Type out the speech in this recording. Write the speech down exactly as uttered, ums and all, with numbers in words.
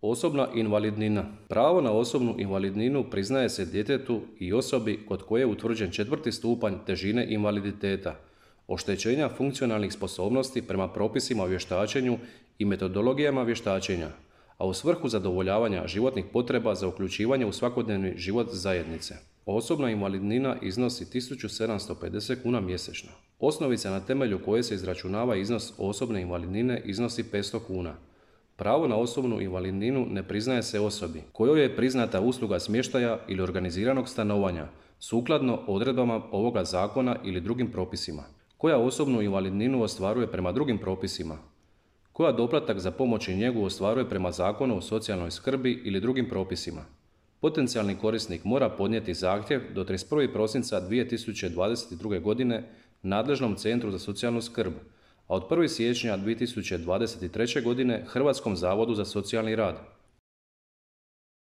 Osobna invalidnina. Pravo na osobnu invalidninu priznaje se djetetu i osobi kod koje je utvrđen četvrti stupanj težine invaliditeta, oštećenja funkcionalnih sposobnosti prema propisima o vještačenju i metodologijama vještačenja, a u svrhu zadovoljavanja životnih potreba za uključivanje u svakodnevni život zajednice. Osobna invalidnina iznosi tisuću sedamsto pedeset kuna mjesečno. Osnovica na temelju koje se izračunava iznos osobne invalidnine iznosi petsto kuna. Pravo na osobnu invalidninu ne priznaje se osobi kojoj je priznata usluga smještaja ili organiziranog stanovanja sukladno odredbama ovoga zakona ili drugim propisima, koja osobnu invalidninu ostvaruje prema drugim propisima, koja doplatak za pomoć i njegu ostvaruje prema Zakonu o socijalnoj skrbi ili drugim propisima. Potencijalni korisnik mora podnijeti zahtjev do trideset prvog prosinca dvije tisuće dvadeset druge. godine nadležnom Centru za socijalnu skrb, a od prvog siječnja dvije tisuće dvadeset treće. godine Hrvatskom zavodu za socijalni rad.